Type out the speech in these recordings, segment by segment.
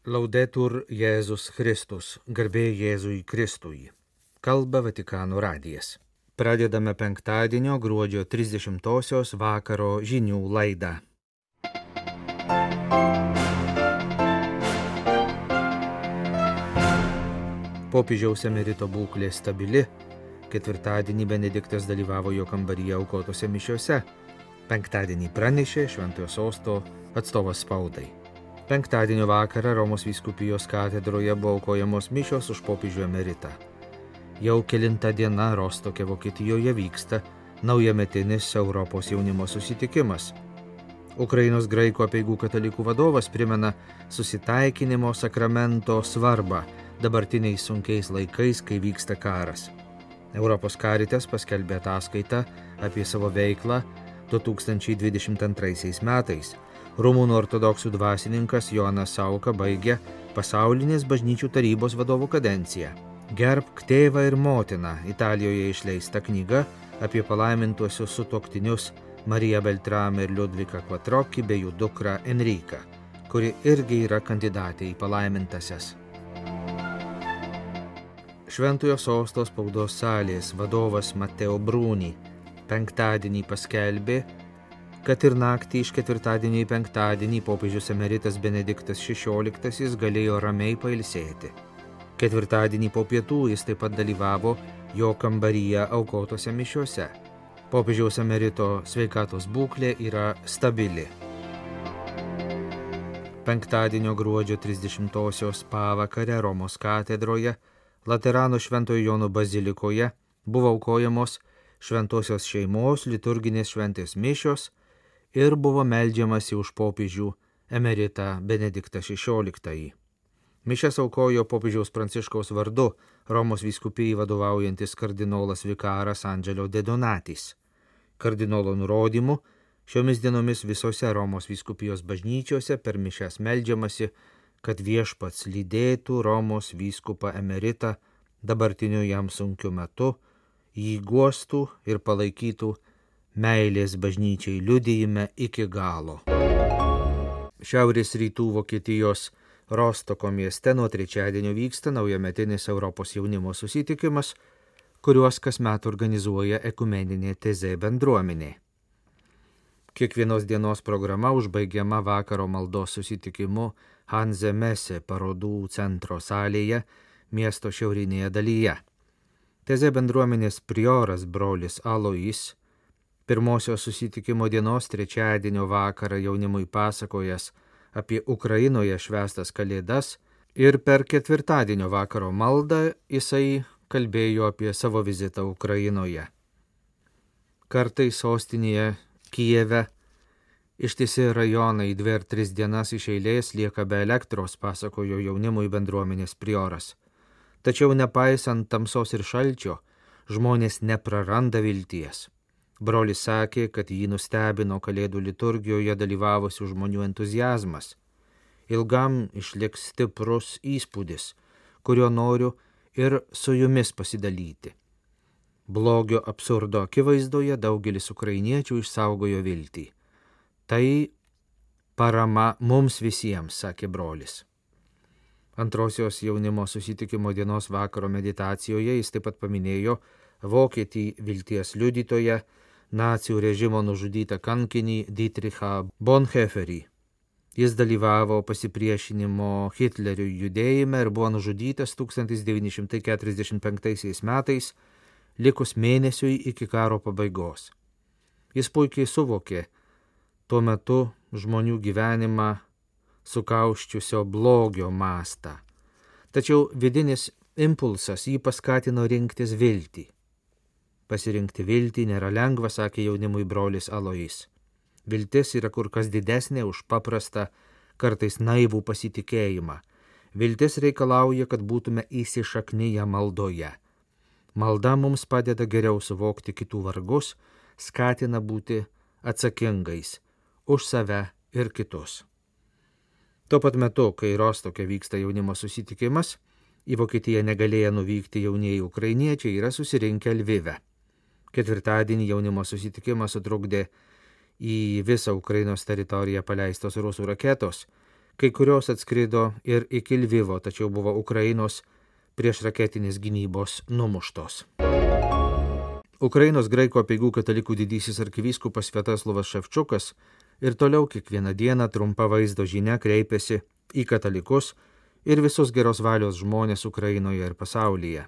Laudetur Jėzus Kristus, garbė Jėzui Kristui. Kalba Vatikano radijas. Pradedame penktadienio gruodžio 30-osios vakaro žinių laidą. Popiežiaus emerito būklė stabili. Ketvirtadienį Benediktas dalyvavo jo kambaryje aukotose mišiose. Penktadienį pranešė Šventojo sosto atstovas spaudai. Penktadienio vakarą Romos vyskupijos katedroje buvo aukojamos mišios už popiežių emeritą. Jau kelinta diena Rostoke, Vokietijoje vyksta naujametinis Europos jaunimo susitikimas. Ukrainos graikų apeigų katalikų vadovas primena susitaikinimo sakramento svarbą dabartiniais sunkiais laikais, kai vyksta karas. Europos Caritas paskelbė ataskaitą apie savo veiklą 2022 metais. Rumunų ortodoksų dvasininkas Jonas Sauka baigė pasaulinės bažnyčių tarybos vadovų kadenciją. Gerbk tėvą ir motiną Italijoje išleista knyga apie palaimintuosius sutuoktinius Mariją Beltramą ir Liudviką Quattrocchi bei jų dukrą Enriką, kuri irgi yra kandidatė į palaimintasias. Šventojo sosto spaudos salės vadovas Matteo Bruni penktadienį paskelbė, kad ir naktį iš ketvirtadienio į penktadienį popiežius emeritas Benediktas XVI galėjo ramiai pailsėti. Ketvirtadienį po pietų jis taip pat dalyvavo jo kambaryje aukotose mišiose. Popiežiaus emerito sveikatos būklė yra stabili. Penktadienio gruodžio 30-osios pavakarę Romos katedroje, Laterano Šventojo Jono bazilikoje buvo aukojamos šventosios šeimos liturginės šventės mišios ir buvo meldžiamasi už popiežių emeritą Benediktą XVI. Mišias aukojo popiežiaus Pranciškaus vardu Romos vyskupijai vadovaujantis kardinolas vikaras Angelo De Donatis. Kardinolo nurodymu, šiomis dienomis visose Romos vyskupijos bažnyčiose per mišias meldžiamasi, kad viešpats lydėtų Romos vyskupą emeritą dabartiniu jam sunkiu metu, jį guostų ir palaikytų meilės bažnyčiai liudijime iki galo. Šiaurės rytų Vokietijos Rostoko mieste nuo trečiadienio vyksta naujametinis Europos jaunimo susitikimas, kuriuos kasmet organizuoja ekumeninė TZ bendruomenė. Kiekvienos dienos programa užbaigiama vakaro maldos susitikimu Hanse Messe parodų centro salėje miesto šiaurinėje dalyje. TZ bendruomenės prioras brolis Alois pirmosios susitikimo dienos trečiadienio vakarą jaunimui pasakojęs apie Ukrainoje švęstas kalėdas ir per ketvirtadienio vakaro maldą jisai kalbėjo apie savo vizitą Ukrainoje. Kartais sostinėje Kijeve ištisi rajonai 2 ar 3 dienas iš eilės lieka be elektros, pasakojo jaunimui bendruomenės prioras. Tačiau nepaisant tamsos ir šalčio, žmonės nepraranda vilties. Brolis sakė, kad jį nustebino kalėdų liturgijoje dalyvavusių žmonių entuziazmas. Ilgam išliks stiprus įspūdis, kurio noriu ir su jumis pasidalyti. Blogio absurdo akivaizdoje daugelis ukrainiečių išsaugojo viltį. Tai parama mums visiems, sakė brolis. Antrosios jaunimo susitikimo dienos vakaro meditacijoje jis taip pat paminėjo vokietį vilties liudytoją, nacių režimo nužudytą kankinį Dietrichą Bonhoefferį. Jis dalyvavo pasipriešinimo Hitleriui judėjime ir buvo nužudytas 1945 metais, likus mėnesiui iki karo pabaigos. Jis puikiai suvokė tuo metu žmonių gyvenimą sukauščiusio blogio mastą. Tačiau vidinis impulsas jį paskatino rinktis viltį. Pasirinkti viltį nėra lengva, sakė jaunimui brolis Alois. Viltis yra kur kas didesnė už paprastą, kartais naivų pasitikėjimą. Viltis reikalauja, kad būtume įsišakniję maldoje. Malda mums padeda geriau suvokti kitų vargus, skatina būti atsakingais už save ir kitus. Tuo pat metu, kai Rostoke vyksta jaunimo susitikimas, į Vokietiją negalėję nuvykti jaunieji ukrainiečiai yra susirinkę Lvive. Ketvirtadienį jaunimo susitikimas sutrukdė į visą Ukrainos teritoriją paleistos rusų raketos, Kai kurios atskrido ir iki Lvivo, tačiau buvo Ukrainos priešraketinės gynybos numuštos. Ukrainos graikų apeigų katalikų didysis arkivyskupas Sviatoslavas Ševčiukas ir toliau kiekvieną dieną trumpa vaizdo žinia kreipiasi į katalikus ir visus geros valios žmonės Ukrainoje ir pasaulyje.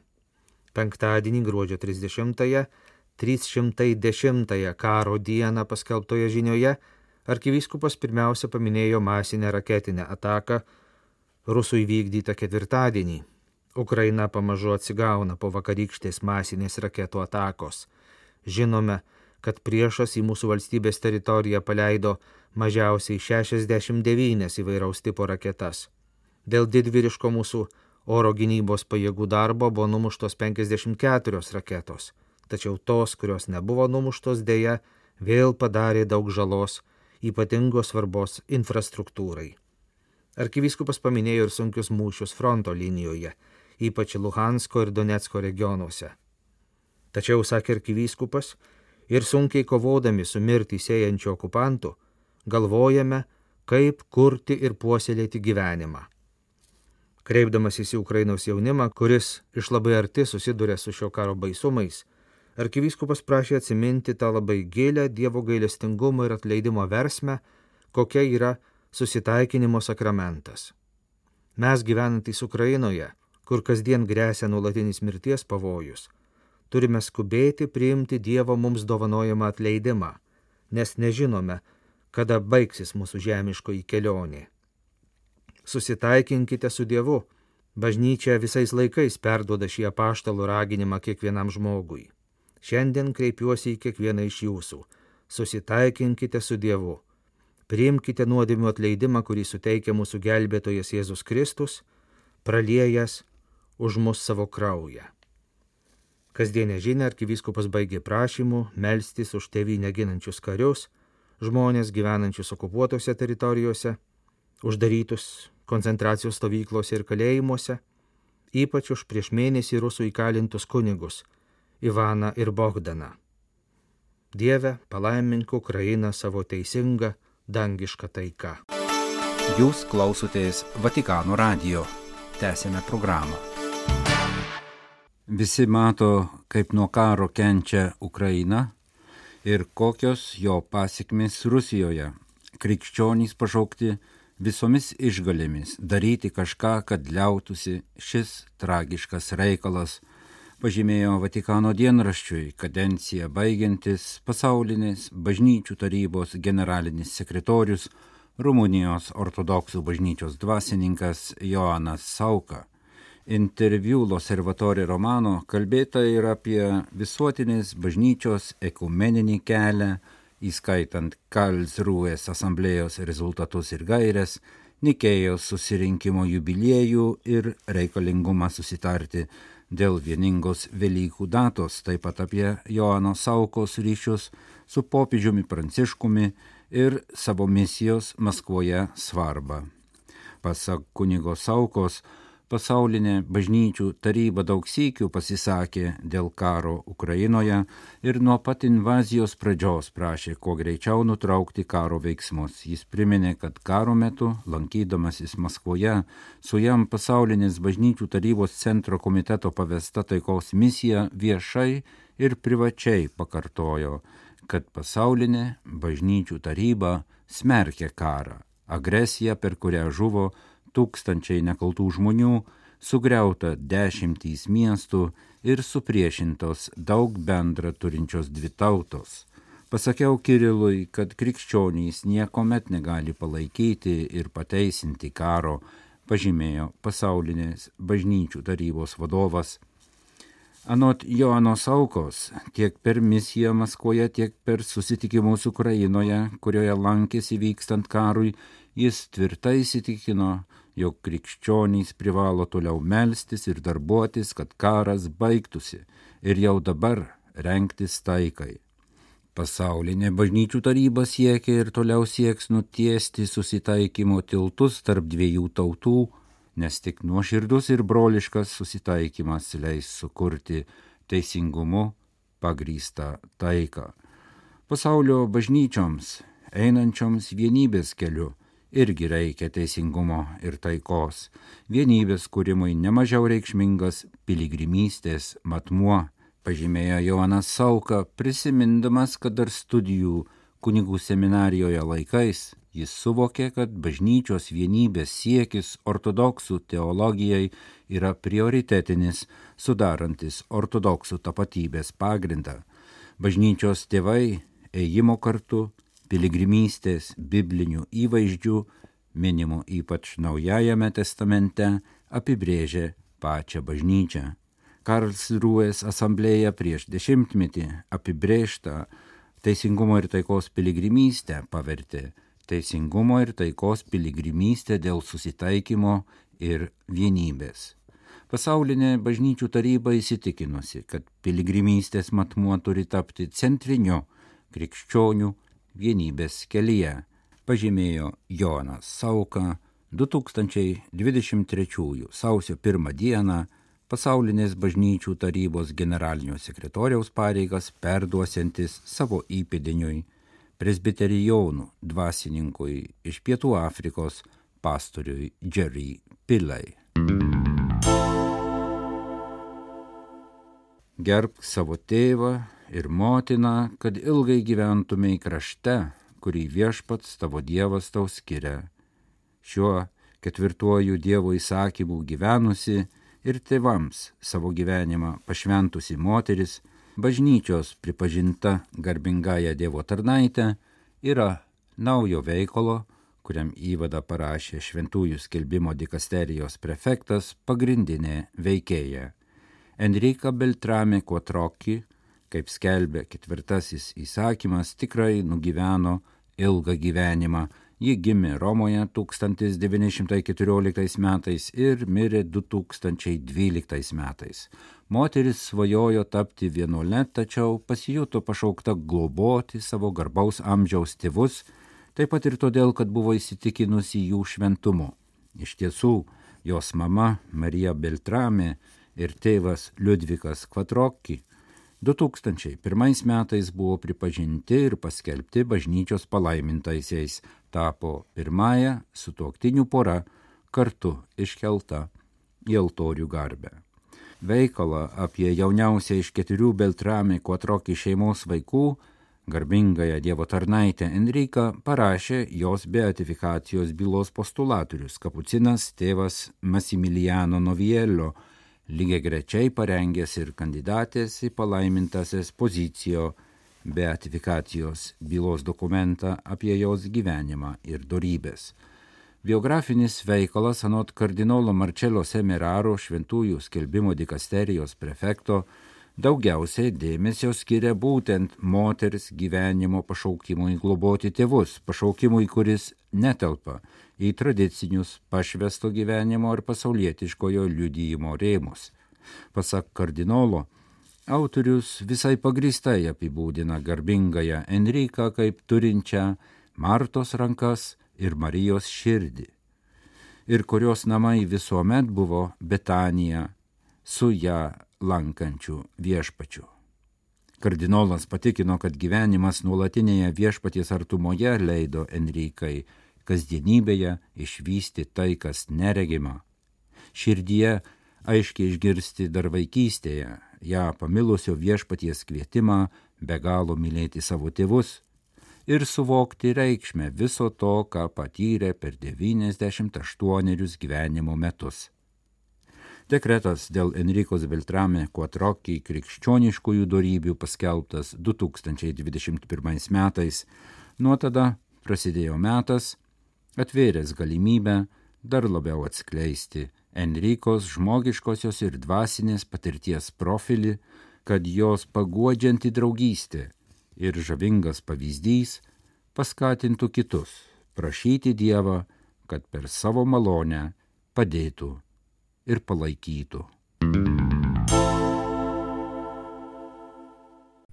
Penktadienį gruodžio 30-ąją, 310-ąją karo dieną paskelbtoje žinioje, arkivyskupas pirmiausia paminėjo masinę raketinę ataką rusų įvykdytą ketvirtadienį. Ukraina pamažu atsigauna po vakarykštės masinės raketų atakos. Žinome, kad priešas į mūsų valstybės teritoriją paleido mažiausiai 69 įvairaus tipo raketas. Dėl didvyriško mūsų oro gynybos pajėgų darbo buvo numuštos 54 raketos, tačiau tos, kurios nebuvo numuštos, deja, vėl padarė daug žalos ypatingos svarbos infrastruktūrai. Arkivyskupas paminėjo ir sunkius mūšius fronto linijoje, ypač Luhansko ir Donecko regionuose. Tačiau, sakė arkivyskupas, ir sunkiai kovodami su mirtį sėjančiu okupantu, galvojame, kaip kurti ir puoselėti gyvenimą. Kreipdamasis į Ukrainos jaunimą, kuris iš labai arti susiduria su šio karo baisumais, arkivyskupas prašė atsiminti tą labai gilę Dievo gailestingumo ir atleidimo versmę, kokia yra susitaikinimo sakramentas. Mes gyvenantys Ukrainoje, kur kasdien gresia nuolatinis mirties pavojus, turime skubėti priimti Dievo mums dovanojamą atleidimą, nes nežinome, kada baigsis mūsų žemiškoji kelionė. Susitaikinkite su Dievu. Bažnyčia visais laikais perduoda šį apaštalų raginimą kiekvienam žmogui. Šiandien kreipiuosi į kiekvieną iš jūsų. Susitaikinkite su Dievu. Priimkite nuodėmių atleidimą, kurį suteikia mūsų gelbėtojas Jėzus Kristus, praliejęs už mus savo kraują. Kasdienę žinią arkivyskupas baigė prašymu melstis už tėvynę ginančius karius, žmonės gyvenančius okupuotose teritorijose, uždarytus koncentracijos stovyklose ir kalėjimuose, ypač už prieš mėnesį rusų įkalintus kunigus Ivaną ir Bogdaną. Dieve, palaimink Ukrainą savo teisingą, dangišką taiką. Jūs klausotės Vatikano radijo. Tęsėme programą. Visi mato, kaip nuo karo kenčia Ukraina ir kokios jo pasekmės Rusijoje. Krikščionys pašaukti visomis išgalėmis daryti kažką, kad liautųsi šis tragiškas reikalas, pažymėjo Vatikano dienraščiui kadenciją baigiantis pasaulinės bažnyčių tarybos generalinis sekretorius Rumunijos ortodoksų bažnyčios dvasininkas Joanas Sauka. Interviu L'Osservatore Romano kalbėta ir apie visuotinės bažnyčios ekumeninį kelią, įskaitant Karlsrūės asamblėjos rezultatus ir gaires, Nikėjos susirinkimo jubiliejų ir reikalingumą susitarti dėl vieningos Velykų datos, taip pat apie Joano Saukos ryšius su popiežiumi Pranciškumi ir savo misijos Maskvoje svarbą. Pasak kunigo Saukos, pasaulinė bažnyčių taryba daug sykių pasisakė dėl karo Ukrainoje ir nuo pat invazijos pradžios prašė kuo greičiau nutraukti karo veiksmus. Jis priminė, kad karo metu, lankydamasis Maskvoje, su jam pasaulinės bažnyčių tarybos centro komiteto pavesta taikos misija viešai ir privačiai pakartojo, kad pasaulinė bažnyčių taryba smerkia karą, agresiją, per kurią žuvo tūkstančiai nekaltų žmonių, sugriauta 10 miestų ir supriešintos daug bendra turinčios dvi tautos. Pasakiau Kirilui, kad krikščionys niekuomet negali palaikyti ir pateisinti karo, pažymėjo pasaulinės bažnyčių tarybos vadovas. Anot Joano Saukos, tiek per misiją Maskvoje, tiek per susitikimus Ukrainoje, kurioje lankėsi vykstant karui, jis tvirtai įsitikino, jog krikščionys privalo toliau melstis ir darbuotis, kad karas baigtųsi ir jau dabar rengtis taikai. Pasaulinė bažnyčių taryba siekia ir toliau sieks nutiesti susitaikymo tiltus tarp dviejų tautų, nes tik nuoširdus ir broliškas susitaikymas leis sukurti teisingumu pagrįstą taiką. Pasaulio bažnyčioms, einančioms vienybės keliu irgi reikia teisingumo ir taikos. Vienybės kūrimui nemažiau reikšmingas piligrimystės matmuo, pažymėjo Jonas Sauka, prisimindamas, kad dar studijų kunigų seminarijoje laikais jis suvokė, kad bažnyčios vienybės siekis ortodoksų teologijai yra prioritetinis, sudarantis ortodoksų tapatybės pagrindą. Bažnyčios tėvai ėjimo kartu, piligrimystės, biblinių įvaizdžių, minimų ypač Naujajame testamente, apibrėžė pačią bažnyčią. Karlsrūės asamblėja prieš 10-metį apibrėžtą teisingumo ir taikos piligrimystę pavertė teisingumo ir taikos piligrimystė dėl susitaikymo ir vienybės. Pasaulinė bažnyčių taryba įsitikinusi, kad piligrimystės matmuo turi tapti centriniu krikščionių vienybės kelyje, pažymėjo Jonas Sauka 2023 sausio 1 dieną Pasaulinės bažnyčių tarybos generalinio sekretoriaus pareigas perduosiantis savo įpėdiniui presbiterijonų dvasininkui iš Pietų Afrikos pastoriui Jerry Pillay. Gerbk savo tėvą ir motiną, kad ilgai gyventumei krašte, kurį viešpats tavo Dievas tau skiria. Šiuo 4 Dievo įsakymu gyvenusi ir tėvams savo gyvenimą pašventusi moteris, bažnyčios pripažinta garbingąja Dievo tarnaitė, yra naujo veikalo, kuriam įvadą parašė Šventųjų skelbimo dikasterijos prefektas, pagrindinė veikėja. Enrika Beltrame Quattrocchi, kaip skelbė 4 įsakymas, tikrai nugyveno ilgą gyvenimą. Ji gimė Romoje 1914 metais ir mirė 2012 metais. Moteris svajojo tapti vienuole, tačiau pasijuto pašaukta globoti savo garbaus amžiaus tėvus, taip pat ir todėl, kad buvo įsitikinusi jų šventumu. Iš tiesų, jos mama Marija Beltrame ir tėvas Liudvikas Quattrocchi 2001 metais buvo pripažinti ir paskelbti bažnyčios palaimintaisiais, tapo pirmąją sutuoktinių pora kartu iškelta į altorių garbę. Veikalą apie jauniausią iš 4 Beltrame Quattrocchi šeimos vaikų, garbingąją Dievo tarnaitę Enriką, parašė jos beatifikacijos bylos postulatorius kapucinas tėvas Massimiliano Noviello, lygiagrečiai parengęs ir kandidatės į palaimintąsias pozicijo beatifikacijos bylos dokumentą apie jos gyvenimą ir dorybės. Biografinis veikalas anot kardinolo Marcello Semeraro, Šventųjų skelbimo dikasterijos prefekto, daugiausiai dėmesio skiria būtent moters gyvenimo pašaukimui globoti tėvus, pašaukimui, kuris netelpa į tradicinius pašvesto gyvenimo ir pasaulietiškojo liudijimo rėmus. Pasak kardinolo, autorius visai pagrįstai apibūdina garbingąją Enriką kaip turinčią Martos rankas ir Marijos širdį, ir kurios namai visuomet buvo Betanija su ją lankančių viešpačių. Kardinolas patikino, kad gyvenimas nuolatinėje viešpaties artumoje leido Enrikai kasdienybėje išvysti tai, kas neregima. Širdyje aiškiai išgirsti dar vaikystėje ją pamilusio viešpaties kvietimą be galo mylėti savo tėvus ir suvokti reikšmę viso to, ką patyrė per 98 gyvenimo metus. Dekretas dėl Enrikos Beltrame Quattrocchi krikščioniškųjų dorybių paskelbtas 2021 metais. Nuo tada prasidėjo metas, atvėręs galimybę dar labiau atskleisti Enrikos žmogiškosios ir dvasinės patirties profilį, kad jos paguodžianti draugystė ir žavingas pavyzdys paskatintų kitus prašyti Dievą, kad per savo malonę padėtų ir palaikytų.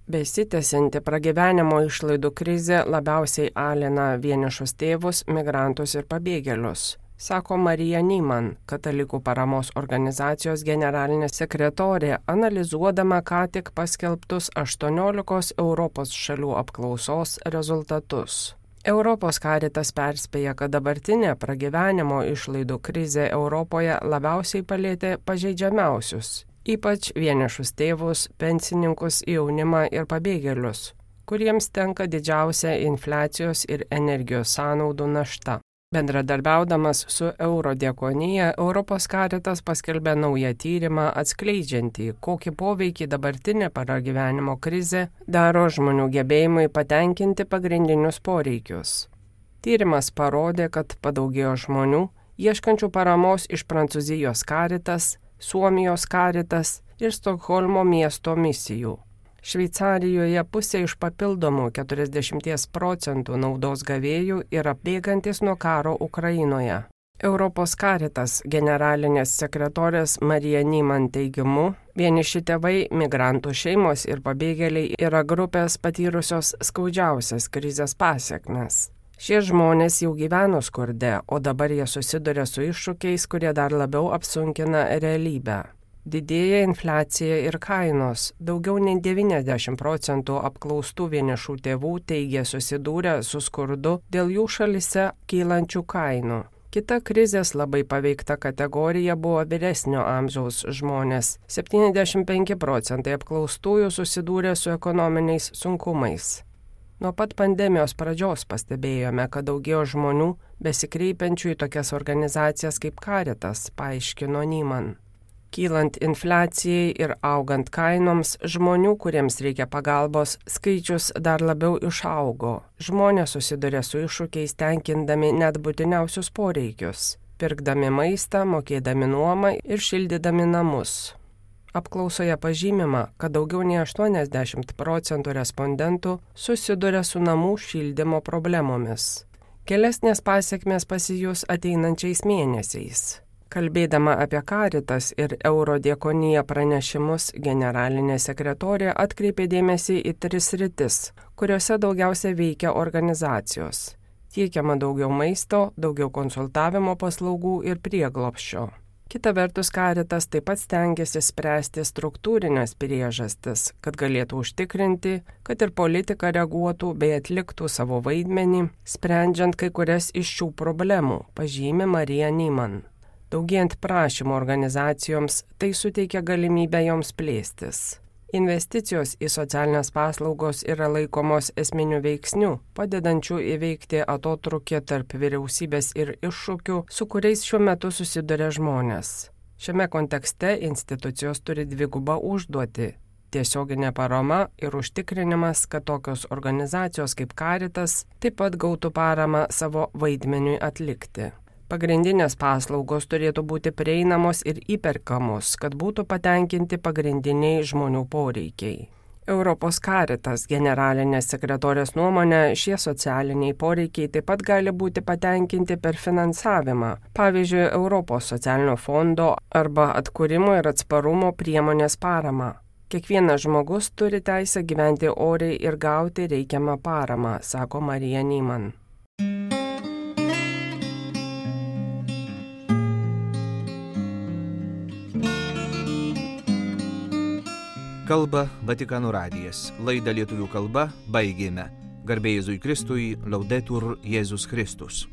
Besitęsianti pragyvenimo išlaidų krizė labiausiai alina vienišus tėvus, migrantus ir pabėgėlius, sako Marija Nyman, katalikų paramos organizacijos generalinė sekretorė, analizuodama ką tik paskelbtus 18 Europos šalių apklausos rezultatus. Europos Caritas perspėja, kad dabartinė pragyvenimo išlaidų krizė Europoje labiausiai palėtė pažeidžiamiausius, ypač vienišus tėvus, pensininkus, jaunimą ir pabėgėlius, kuriems tenka didžiausia infliacijos ir energijos sąnaudų našta. Bendradarbiaudamas su Eurodiakonija, Europos Caritas paskelbė naują tyrimą atskleidžiantį, kokį poveikį dabartinė pragyvenimo krizė daro žmonių gebėjimui patenkinti pagrindinius poreikius. Tyrimas parodė, kad padaugėjo žmonių, ieškančių paramos iš Prancūzijos Caritas, Suomijos Caritas ir Stokholmo miesto misijų. Šveicarijoje pusė iš papildomų 40% naudos gavėjų yra bėgantis nuo karo Ukrainoje. Europos Caritas generalinės sekretorės Marija Nyman teigimu, vieniši tėvai, migrantų šeimos ir pabėgėliai yra grupės patyrusios skaudžiausias krizės pasekmes. Šie žmonės jau gyveno skurde, o dabar jie susiduria su iššūkiais, kurie dar labiau apsunkina realybę. Didėja infliacija ir kainos. Daugiau nei 90% apklaustų vienišų tėvų teigia susidūrę su skurdu dėl jų šalise kylančių kainų. Kita krizės labai paveikta kategorija buvo vyresnio amžiaus žmonės. 75% apklaustųjų susidūrė su ekonominiais sunkumais. Nuo pat pandemijos pradžios pastebėjome, kad daugėjo žmonių besikreipiančių į tokias organizacijas kaip Caritas, paaiškino Nyman. Kylant infliacijai ir augant kainoms, žmonių, kuriems reikia pagalbos, skaičius dar labiau išaugo. Žmonės susiduria su iššūkiais tenkindami net būtiniausius poreikius, pirkdami maistą, mokėdami nuomą ir šildydami namus. Apklausoje pažymima, kad daugiau nei 80% respondentų susiduria su namų šildymo problemomis. Gilesnės pasekmės pasijus ateinančiais mėnesiais. Kalbėdama apie Caritas ir Eurodiakoniją pranešimus, generalinė sekretorė atkreipė dėmesį į 3 sritis, kuriuose daugiausia veikia organizacijos. Tiekiama daugiau maisto, daugiau konsultavimo paslaugų ir prieglobsčio. Kita vertus, Caritas taip pat stengiasi spręsti struktūrinės priežastis, kad galėtų užtikrinti, kad ir politika reaguotų bei atliktų savo vaidmenį, sprendžiant kai kurias iš šių problemų, pažymi Marija Nyman. Daugėjant prašymų organizacijoms, tai suteikia galimybę joms plėstis. Investicijos į socialinės paslaugos yra laikomos esminių veiksnių, padedančių įveikti atotrūkį tarp vyriausybės ir iššūkių, su kuriais šiuo metu susiduria žmonės. Šiame kontekste institucijos turi dvigubą užduotį – tiesioginė parama ir užtikrinimas, kad tokios organizacijos kaip Caritas taip pat gautų paramą savo vaidmeniui atlikti. Pagrindinės paslaugos turėtų būti prieinamos ir įperkamos, kad būtų patenkinti pagrindiniai žmonių poreikiai. Europos Caritas generalinės sekretorės nuomonė, šie socialiniai poreikiai taip pat gali būti patenkinti per finansavimą, pavyzdžiui, Europos socialinio fondo arba atkūrimo ir atsparumo priemonės paramą. Kiekvienas žmogus turi teisę gyventi oriai ir gauti reikiamą paramą, sako Marija Nyman. Kalba Vatikano radijas. Laidą lietuvių kalba baigėme. Garbė Jėzui Kristui, Laudetur Jėzus Kristus.